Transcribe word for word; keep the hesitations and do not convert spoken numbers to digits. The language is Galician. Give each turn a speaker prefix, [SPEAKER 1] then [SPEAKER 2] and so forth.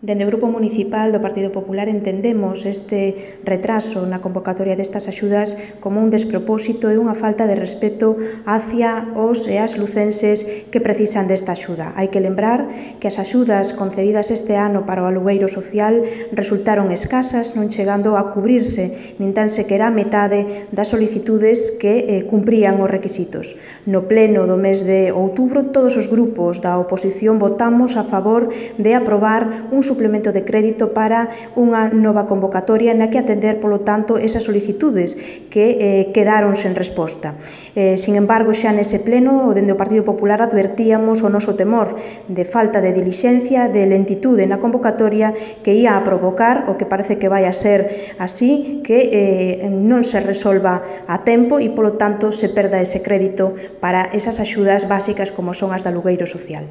[SPEAKER 1] Dende o Grupo Municipal do Partido Popular entendemos este retraso na convocatoria destas axudas como un despropósito e unha falta de respeto hacia os e as lucenses que precisan desta axuda. Hai que lembrar que as axudas concedidas este ano para o alugueiro social resultaron escasas, non chegando a cubrirse nin tan sequera a metade das solicitudes que eh, cumprían os requisitos. No pleno do mes de outubro, todos os grupos da oposición votamos a favor de aprobar un suplemento de crédito para unha nova convocatoria na que atender, polo tanto, esas solicitudes que eh, quedaron sen resposta. Eh, sin embargo, xa nese pleno, dende o Partido Popular advertíamos o noso temor de falta de dilixencia, de lentitude na convocatoria que ia a provocar, o que parece que vai a ser así, que eh, non se resolva a tempo e, polo tanto, se perda ese crédito para esas axudas básicas como son as de alugueiro social.